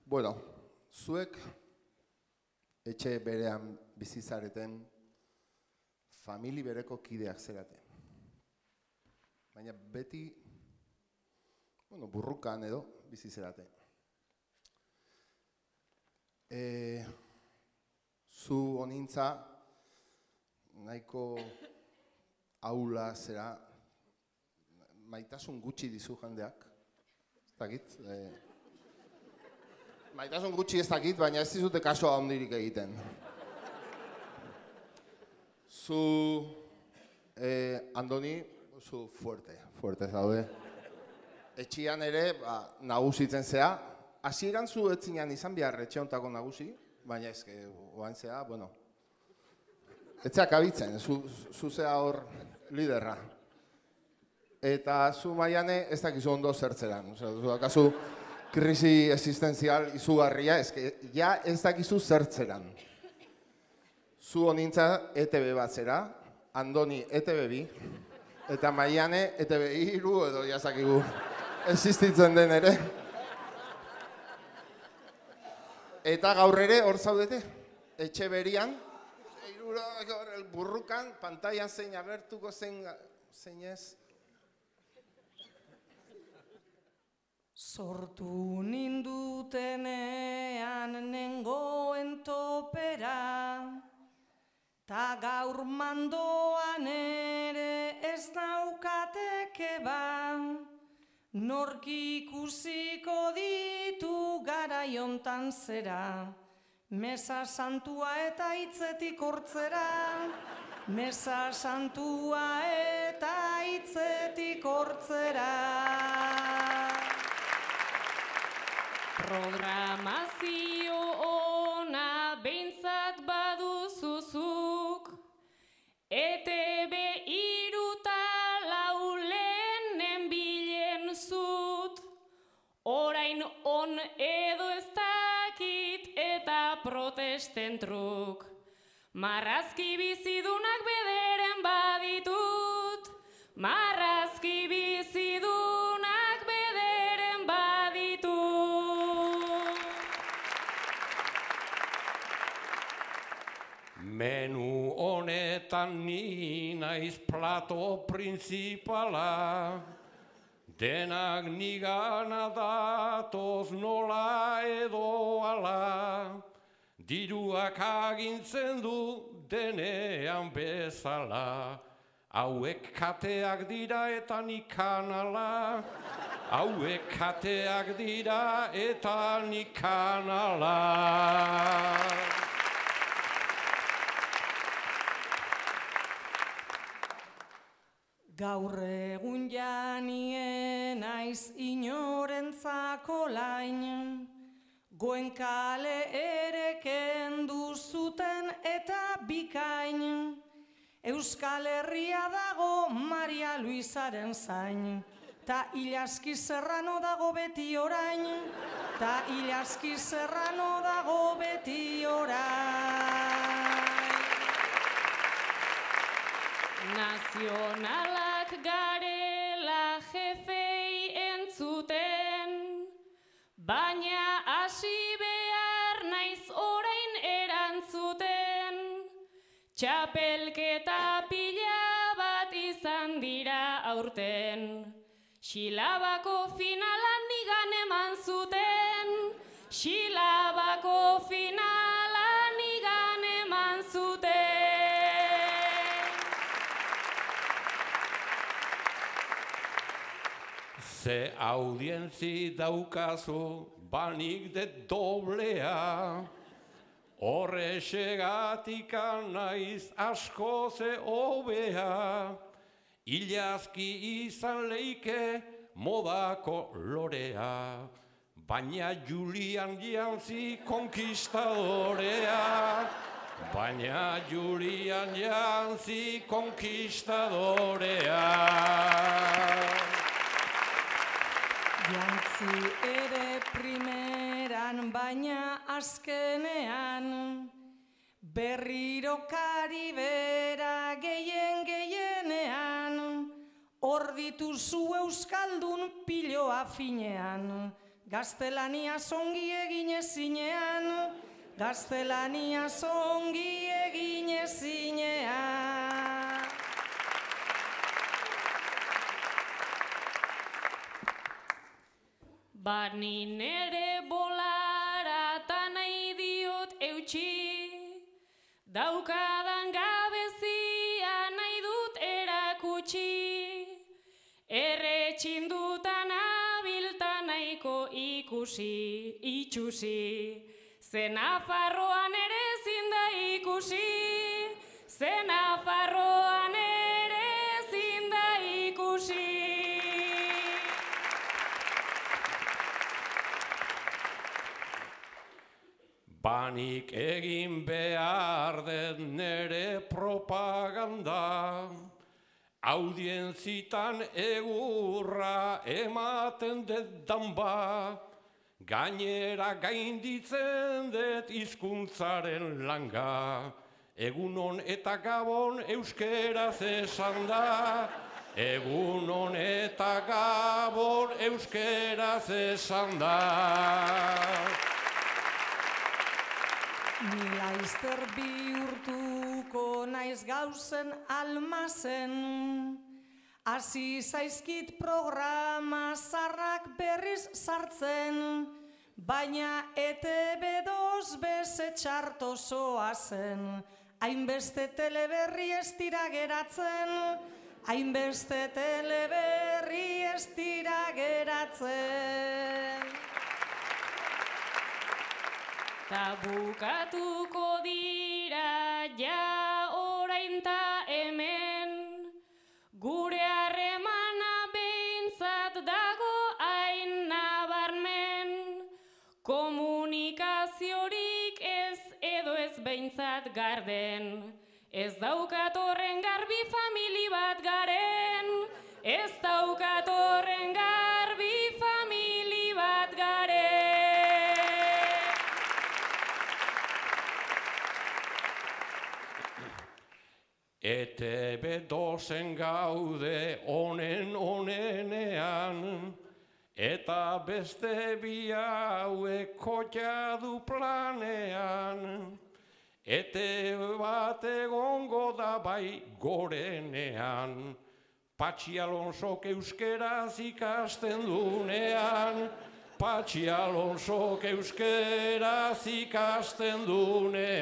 Bueno, zuek etxe berean bizizareten famili bereko kideak zerate. Baina beti, burrukan edo bizizerate. Zu honintza nahiko aula zera, maitasun gutxi dizu jendeak, ez dakit. Maitasun gutxi ez dakit, baina ez dizute kaso handirik egiten. Zu, Andoni, zu fuerte zaude. Etxian ere, nagusitzen zea. Hasieran zu etzinean izan behar etxe hontako nagusi, baina ezke, oain zea, etxeak abitzen, zu zea hor liderra. Eta zu Maiane ez dakizu ondo zertzeran. Zu dakazu krisi existenzial izugarria, ja ez dakizu zertzeran. Zu honintza ETB bat zera, Andoni ETB 2, eta Maiane ETB 3 edo jazakigu existitzen den ere. Eta gaur ere hor zaudete, etxe berian, burrukan, pantailan zein agertuko zein ez. Sortu nindutenean nengoen topera, ta gaur mandoan ere ez naukateke ba, nork ikusiko ditu garaiontan zera, mesa santua eta hitzetik hortzera, mesa santua eta hitzetik hortzera. Programazio ona behintzat baduzuzuk, ETB 3 eta 4 lehenen bilen zut, orain on edo ez dakit eta protesten truk. Marrazki bizidunak bederen baditut, marrazki bizidunak bederen baditut. Menu honetan ni naiz plato printzipala, denak nigana datoz nola edo ala, diruak agintzen du denean bezala, hauek kateak dira eta nik kanala, hauek kateak dira eta nik kanala. Gaur egun janien naiz inorentzako lain, Goenkale ere kendu zuten eta bikain, Euskal Herria dago Maria Luisaren zain, ta Ilaski Serrano dago beti orain, ta Ilaski Serrano dago beti orain. Nazionalak garela jefei entzuten, baina hasi behar naiz orain erantzuten. Txapelketa pila bat izan dira aurten, Xilabako finalan nigan eman zuten, Xilabako finalan nigan eman zuten. Ze audientzi daukazu banik de doblea, horrexegatik naiz asko ze hobea, Ilazki izan leike modako lorea, baina Julian jantzi konkistadorea, baina Julian jantzi konkistadorea. Jantzi ere primeran, baina azkenean, berriro Karibera gehienean, hor dituzu euskaldun piloa finean, Gaztelaniaz ongi egin ezinean, gaztelaniaz ongi egin ezinean. Bani nere bolara ta nahi diot eutxi, daukadan gabezia nahi dut erakutsi, erretxindutan abilta nahiko ikusi, itxusi, ze Nafarroan ere ezin da ikusi, ze Nafarroan ere ezin da ikusi. Banik egin behar dut nere propaganda, audientzitan egurra ematen dut danba, gainera gainditzen dut hizkuntzaren langa, egunon eta gabon euskeraz esan da, egunon eta gabon euskeraz esan da. Ni laizter bihurtuko naiz gauzen almazen, hasi zaizkit programa zarrak berriz sartzen, baina ETB2 beze txarto zoazen, hainbeste teleberri ez dira geratzen, hainbeste teleberri ez dira geratzen. Ta bukatuko dira ja orain ta hemen, gure harremana behintzat dago hain nabarmen, komunikaziorik ez edo ez behintzat garden, ez daukat horren garbi famili bat garen, ez daukat horren garbi famili bat garen. ETB2en gaude onenean, eta beste bi hauek kotxa du planean. ETB bat egongo da bai gorenean, Patxi Alonsok euskeraz ikasten dunean, Patxi Alonsok euskeraz ikasten dunean.